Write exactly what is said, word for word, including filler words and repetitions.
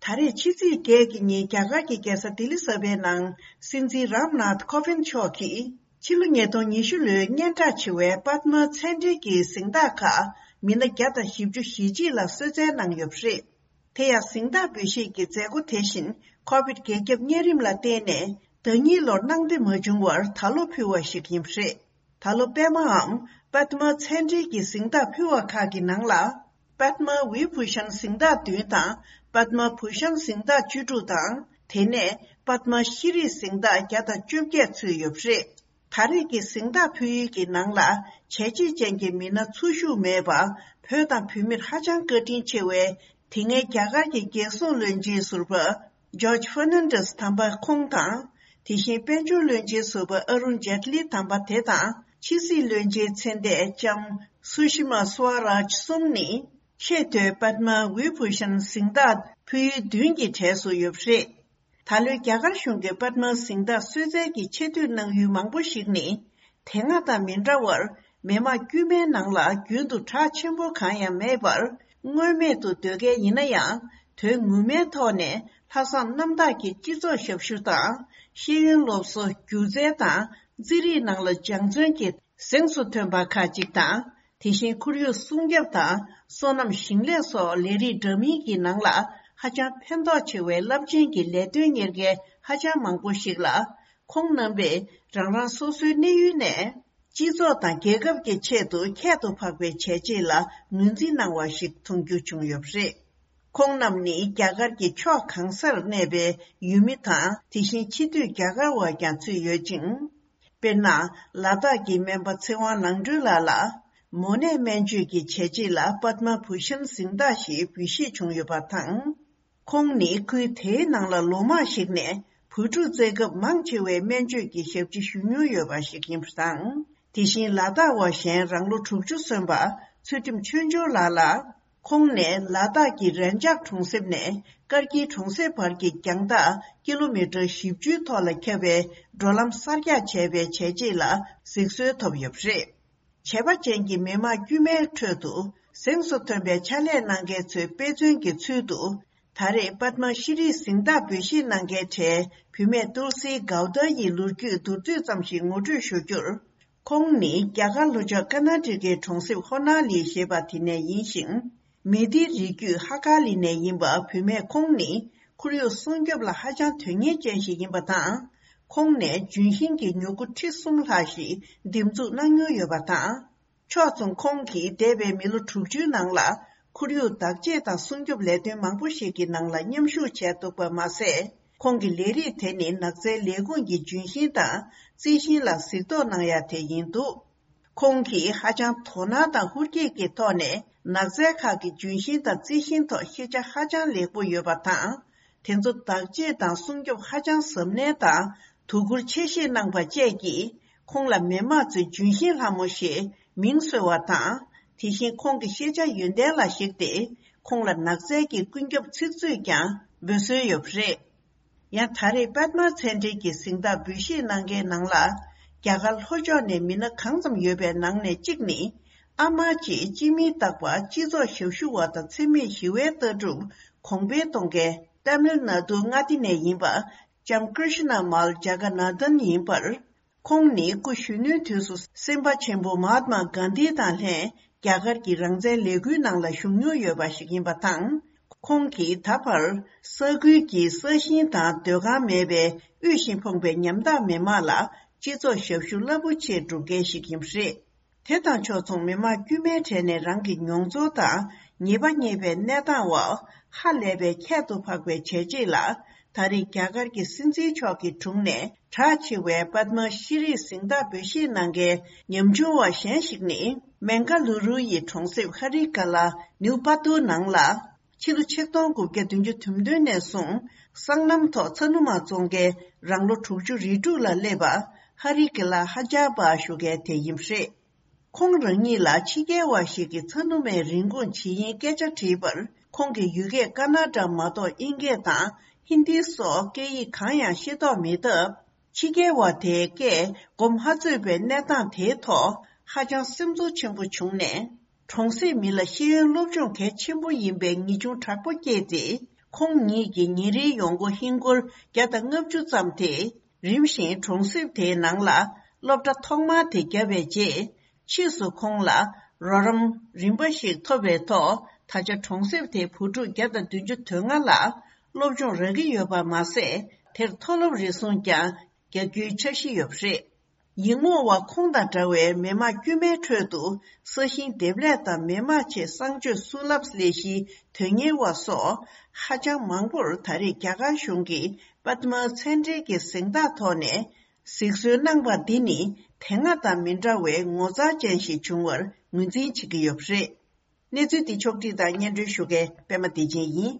ད་རེས་ཕྱི་ཚེས་བརྒྱད་ཀྱི་ཉིན་རྒྱ་གར་གྱི་རྒྱལ་ས་ལྡི་ལི་གསར་པའི་ནང་སྲིད་འཛིན་རམ་ནཱཐ་ཁོ་བིན་མཆོག་གིས་ཕྱི་ལོ་ཉིས་སྟོང་ཉི་ཤུ་ལོའི་སྙན་གྲགས་ཆེ་བའི་པདྨ་མཚན་བྲིས་ཀྱི་གཟེངས་རྟགས་ཁག་མི་སྣ་བརྒྱ་དང་བཞི་བཅུ་ཞེ་གཅིག་ལ་གསོལ་སྩལ་གནང་ཡོད་པ་རེད། དེ་ཡང་གཟེངས་རྟགས་འབུལ་བཞེས་ཀྱི་མཛད་སྒོ་དེ་བཞིན་ཁོ་བིད་འགོས་ཁྱབ་གཉན་རིམས་ལ་བརྟེན་ནས་ཟླ་གཉིས་ལོར་གནང་བདེ་མ་བྱུང་བར་ད་ལོ་ཕུལ་བ་ཞིག་ཡིན་པ་རེད། ད་ལོ་པདྨའམ་པདྨ་མཚན་བྲིས་ཀྱི་གཟེངས་རྟགས་ཕུལ་བ་ཁག་གི་ནང་ལ། པདྨ་བི་བྷུ་ཤན་གཟེངས་རྟགས་བདུན་དང་། པདྨ་བྷུ་ཤན་གཟེངས་རྟགས་བཅུ་དྲུག་དང་། དེ་ནས་པདྨ་ཤྲི་རི་གཟེངས་རྟགས་བརྒྱ་དང་བཅོ་བརྒྱད་ཚུད་ཡོད་པ་རེད། ད་རེས་ཀྱི་གཟེངས་རྟགས་ཕུལ་ཡུལ་གྱི་ནང་ལ་བྱས་རྗེས་ཅན་གྱི་མི་སྣ་ཚོགས་ཞུགས་མེད་པ། བོད་དང་བོད་མིར་ཧ་ཅང་བཀའ་དྲིན་ཆེ་བའི་དེ་སྔའི་རྒྱ་གར་གྱི་རྒྱལ་སྲུང་བློན་ཆེན་ཟུར་པ་ཇོརྗ་ཧྥར་ནན་ཌེས་དམ་པ་ཁོང་དང་། དེ་བཞིན་དཔལ་འབྱོར་བློན་ཆེན་ཟུར་པ་ཨ་རུན་ཇེཊ་ལི་དམ་པ་དེ་དང་། ཕྱི་སྲིད་བློན་ཆེན་ཚེ་འདས་ལྕམ་སུ་ཤི་མ་སུའ་རཱཇ་གསུམ་ནི་ཆེས་མཐོའི་པདྨ་བི་བྷུ་ཤན་གཟེངས་རྟགས་ཕུལ་ཡུལ་བདུན་གྱི་གྲས་སུ་ཡོད་པ་རེད། ད་ལོའི་རྒྱ་གར་གཞུང་གི་པདྨ་གཟེངས་རྟགས་གསོལ་སྩལ་གྱི་ཆེ་བསྟོད་གནང་ཡུལ་མང་པོ་ཞིག་ནི། དེ་སྔ་དང་མི་འདྲ་བར་མི་དམངས་དཀྱུས་མའི་ནང་ལ་རྒྱུན་དུ་གྲགས་ཆེན་པོ་གང་ཡང་མེད་པར། མངོན་མེད་དུ་སྡོད་མཁན་ཡིན་ན་ཡང་། དོན་ངོ་མའི་ཐོག་ནས་ལྷག་བསམ་རྣམ་དག་གིས་སྤྱི་ཚོགས་ཞབས་ཞུ་དང་། ཤེས་ཡོན་སློབ་གསོ། སྒྱུ་རྩལ་དང་རྩིས་རིག་ནང་ལ་སྦྱང་བརྩོན་གྱིས་གཟེངས་སུ་ཐོན་པ་ཁག་ཅིག་དང་། དེ་བཞིན་ཁོར་ཡུག་སྲུང་སྐྱོབ་དང་སོ་ནམ་ཞིང་ལས་སོགས་ལས་རིགས་འདྲ་མིན་གྱི་ནང་ལ་ཧ་ཅང་ཕན་ཐོགས་ཆེ་བའི་རླབས་ཆེན་གྱི་ལས་དོན་གཉེར་མཁན་ཧ་ཅང་མང་པོ་ཞིག་ལ། ཁོང་རྣམ་པས་རང་རང་སོ་སོའི་གནས་ཡུལ་ནས་སྤྱི་ཚོགས་དང་རྒྱལ་ཁབ་ཀྱི་ཆེད་དུ་ཁྱད་དུ་འཕགས་པའི་བྱས་རྗེས་ལ་ངོས་འཛིན་གནང་བ་ཞིག་མཐོང་རྒྱུ་བྱུང་ཡོད་པ་རེད། ཁོང་རྣམས་ནི་རྒྱ་གར་གྱི་ཕྱོགས་གང་སར་གནས་པའི་ཡུལ་མི་དང་། དེ་བཞིན་ཕྱི་སྡོད་རྒྱ་གར་བ་ཀྱང་ཚུད་ཡོད་ཅིང་། དཔེར་ན། ལ་དྭགས་ཀྱི་སྨན་པ་ཚེ་དབང་ནང་སྒྲོལ་ལགས་ལ། མོ་ནད་སྨན་བཅོས་ཀྱི་བྱས་རྗེས་ལ་པདྨ་བྷུ་ཤན་གཟེངས་རྟགས་ཤིག་འབུལ་བཞེས་བྱུང་ཡོད་པ་དང་། ཁོང་ནི་ཁུལ་དེའི་ནང་ལ་ལོ་མང་ཞིག་ནས་བུ་ཕྲུག་བཙའ་སྐབས་མང་ཆེ་བའི་སྨན་བཅོས་ཀྱི་ཞབས་ཕྱི་ཞུ་མྱོང་ཡོད་པ་ཞིག་ཡིན་པ་དང་། དེ་བཞིན་ལ་དྭགས་བ་གཞན་རང་ལོ་དྲུག་ཅུ་སོན་པ་ཚུལ་ཁྲིམས་ཆོས་འབྱོར་ལགས་ལ། ཁོང་ནས་ལ་དྭགས་ཀྱི་རན་ཇག་གྲོང་གསེབ་ནས་ཀར་གྱི་གྲོང་གསེབ་བར་གྱི་རྒྱང་ཐག་ཀི་ལོ་མི་ཊར་བཞི་བཅུའི་ཐོག་ལ་ཁྱབ་པའི་འགྲོ་ལམ་གསར་རྒྱག་བྱས་པའི་བྱས་རྗེས་ལ་གཟིགས་གསོལ་ཐོབ་ཡོད་པ་རེད། བྱས་པ་ཅན་གྱི་མི་དམངས་དཀྱུས་མའི་ཁྲོད་དུ་གཟེངས་སུ་ཐོན་པའི་ཕྱག་ལས་གནང་མཁན་ཚོའི་དཔེ་མཚོན་གྱི་ཚུལ་དུ། ད་རེས་པདྨ་ཤྲི་རིའི་གཟེངས་རྟགས་འབུལ་བཞེས་གནང་མཁན་གྲས་བུད་མེད་ཏུལ་སི་གའུ་ཏཱ་ཡི་ལོ་རྒྱུས་མདོར་བསྡུས་ཙམ་ཞིག་ངོ་སྤྲོད་ཞུ་རྒྱུར། ཁོང་ནི་རྒྱ་གར་ལྷོ་ཕྱོགས་ཀར་ན་ཊ་ཀའི་གྲོང་གསེབ་ཧོ་ན་ལི་ཞེས་པ་དེ་ནས་ཡིན་ཞིང་། མི་དིའི་རིགས་རྒྱུད་ཧ་ཀ་ལི་ནས་ཡིན་པ་བུད་མེད་ཁོང་ནི་ཁོར་ཡུག་སྲུང་སྐྱོབ་ལ་ཧ་ཅང་དོན་གཉེར་ཅན་ཞིག་ཡིན་པ་དང་། ཁོང་ནས་ལྗོན་ཤིང་གི་མྱུ་གུ་ཁྲི་གསུམ་ལྷག་ཞིག་འདེབས་འཛུགས་གནང་མྱོང་ཡོད་པ་དང་། ཕྱོགས་མཚུངས་ཁོང་གིས་འདས་པའི་མི་ལོ་དྲུག་ཅུའི་ནང་ལ་ཁོར་ཡུག་བདག་གཅེས་དང་སྲུང་སྐྱོབ་ལས་དོན་མང་པོ་ཞིག་གི་ནང་ལ་མཉམ་ཞུགས་བྱས་འདུག་པ་མ་ཟད། ཁོང་གི་ལས་རིགས་དེ་ནི་ནགས་ཚལ་ལས་ཁུངས་ཀྱི་ལྗོན་ཤིང་དང་རྩི་ཤིང་ལ་གཟིགས་རྟོག་གནང་ཡ་དེ་ཡིན་འདུག་ཁོང་གིས་ཧ་ཅང་དོ་སྣང་དང་ཧུར་སྐྱེད་ཀྱི་ཐོག་ནས་ནགས་ཚལ་ཁག་གི་ལྗོན་ཤིང་དང་རྩི་ཤིང་ཐོག་ཤེས་བྱ་ཧ་ཅང་ལེགས་པོ་ཡོད་པ་དང་། དེ་ཚོ་བདག་གཅེས་དང་སྲུང་སྐྱོབ་ཧ་ཅང་གཟབ་ནན་དང་དོ་ཁུར་ཆེ་བཞེས་གནང་པ་བཅས་ཀྱིས་ཁོང་ལ་མི་དམངས་ཚོས་ལྗོན་ཤིང་ལྷ་མོ་ཞེས་མིང་གསོལ་བ་དང་། དེ་བཞིན་ཁོང་གི་ཤེས་བྱ་ཡོན་ཏན་ལ་གཞིགས་ཏེ་ཁོང་ལ་ནགས་ཚལ་གྱི་ཀུན་ཁྱབ་ཚིག་མཛོད་ཀྱང་འབོད་སྲོལ་ཡོད་པ་རེད། ཡང་ད་རེས་པདྨ་མཚན་བྲིས་ཀྱི་གཟེངས་རྟགས་འབུལ་བཞེས་གནང་མཁན་ནང་ལ། རྒྱ་གར་ལྷོ་ཕྱོགས་ནས་མི་སྣ་གང་ཙམ་ཡོད་པའི་ནང་ནས་གཅིག་ནི། ཨ་མ་ཅེས་སྤྱི་མིང་བཏགས་པ་སྤྱི་ཚོགས་ཞབས་ཞུ་བ་དང་འཚེ་མེད་ཞི་བའི་ལྟ་གྲུབ་གོང་འཕེལ་གཏོང་མཁན་ཏཱ་མིལ་ནཱ་ཌུ་མངའ་སྡེ་ནས་ཡིན་པ་ལྕམ་ཀྲི་ཤི་ན་མཱལ་ཇ་ག་ན་དན་ཡིན་པར། ཁོང་ནི་སྐུ་གཞོན་ནུའི་དུས་སུ་སེམས་དཔའ་ཆེན་པོ་མ་ཧཱཏ་མ་གྷན་དྷི་དང་ལྷན་རྒྱ་གར་གྱི་རང་བཙན་ལས་འགུལ་ནང་ལ་ཞུགས་མྱོང་ཡོད་པ་ཞིག་ཡིན་པ་དང་། ཁོང་གིས་ད་བར་ས་ཁུལ་གྱི་ས་ཞིང་དང་སྡོད་ཁང་མེད་པའི་དབུལ་ཞིང་ཕོངས་པའི་ཉམ་ཐག་མི་དམངས་ལ་སྤྱི་ཚོགས་ཞབས་ཞུ་རླབས་པོ་ཆེ་སྒྲུབ་མཁན་ཞིག་ཡིན་པ་རེད། དེ་དང་ཕྱོགས་མཚུངས་མི་དམངས་དཀྱུས་མའི་གྲས་ནས་རང་གི་མྱོང་ཚོར་དང་ཉེས་པ་རྙེད་པའི་གནས་སྟངས་འོག་ཧ་ལས་པའི་ཁྱད་དུ་འཕགས་པའི་བྱས་རྗེས་ལ། ད་རེས་རྒྱ་གར་གྱི་སྲིད་འཛིན་མཆོག་གི་དྲུང་ནས་གྲགས་ཆེ་བའི་པདྨ་ཤྲི་རིའི་གཟེངས་རྟགས་འབུལ་བཞེས་གནང་མཁན་ཉམ་ཆུང་བ་གཞན་ཞིག་ནི། མེང་ག་ལུ་རུ་ཡི་གྲོང་གསེབ་ཧ་རི་ཀ་ལ་ནིའུ་པ་ཏུ་ནང་ལ། ཕྱི་ལོ་ཆིག་སྟོང་དགུ་བརྒྱ་བདུན་ཅུ་དོན་བདུན་ནས་བཟུང་སྲང་ལམ་ཐོག་ཚ་ནུ་མ་བཙོང་མཁན་རང་ལོ་དྲུག་ཅུ་རེ་དྲུག་ལ་སླེབས་པ་ཧ་རི་ཀ་ལ་ཧ་ཇ་པ་ཞུ་མཁན་དེ་ཡིན་པ་རེད། ཁོང་རང་ཉིད་ལ་ཕྱི་རྒྱལ་བ་ཞིག་གིས་ཚ་ནུ་མའི་རིན་གོང་ཇི་ཡིན་སྐད་ཆ་དྲིས་པར། ཁོང་གིས་ཡུལ་སྐད་ཀ་ན་ཌ་མ་གཏོགས་དབྱིན་སྐད་དང་ཧིན་དི་སོགས་སྐད་ཡིག་གང་ཡང་ཤེས་རྟོགས་མེད་སྟབས། ཕྱི་རྒྱལ་བ་དེའི་སྐད་གོ་མ་ཚོད་པའི་གནས་སྟངས་དེའི་ཐོག་ཧ་ཅང་སེམས་ཚོར་ཆེན་པོ་བྱུང་ནས། གྲོང་གསེབ་མི་ལ་ཤེས་ཡོན་སློབ་སྦྱོང་གལ་ཆེན་པོ་ཡིན་པའི་ངེས་འབྱུང་དྲག་པོ་སྐྱེས་ཏེ། ཁོང་ཉིད་ཀྱི་ཉིན་རེའི་ཡོང་སྒོ་ཧིན་སྒོར་བརྒྱ་དང་ལྔ་བཅུ་ཙམ་དེ་རིམ་བཞིན་གྲོང་གསེབ་དེའི་ནང་ལ་སློབ་གྲྭ་ཐོག་མ་དེ་བརྒྱབ་པའི་རྗེས། ཕྱིས་སུ་ཁོང་ལ་རོགས་རམ་རིམ་པ་ཞིག་ཐོབ་པའི་ཐོག་ད་ཆ་གྲོང་གསེབ་དེའི་བུ་ཕྲུག་བརྒྱ་དང་བདུན་ཅུ་དོན་ལྔ་ལ་སློབ་སྦྱོང་རག་གི་ཡོད་པ་མ་ཟད། དེར་མཐོ་སློབ་རེ་ཟུང་ཀྱང་རྒྱག་རྒྱུའི་འཆར་གཞི་ཡོད་པ་རེད། ཡིག་རྨོངས་བ་ཁོང་དང་འདྲ་བའི་མི་མང་དཀྱུས་མའི་ཁྲོད་དུ་ས་ཞིང་འདེབས་ལས་དང་མི་དམངས་ཆེད་གསང་སྤྱོད་སུ་ལབ་ལས་གཞིའི་དོན་གཉེར་བ་སོགས་ཧ་ཅང་མང་པོར་ད་རེས་རྒྱ་གར་གཞུང་གིས་པདྨ་མཚན་འབྲེལ་གྱི་གཟེངས་རྟགས་ཐོག་ནས་གཟིགས་གསོལ་གནང་པ་འདི་ནི་དེ་སྔ་དང་མི་འདྲ་བའི་ངོ་མཚར་ཅན་ཞིག་བྱུང་བར་ངོས་འཛིན་བྱེད་ཀྱི་ཡོད་པ་རེད། གནས་ཚུལ་འདི་ཕྱོགས་བསྒྲིགས་དང་སྙན་སྒྲོན་ཞུ་མཁན་པད་མ་བདེ་ཆེན་ཡིན།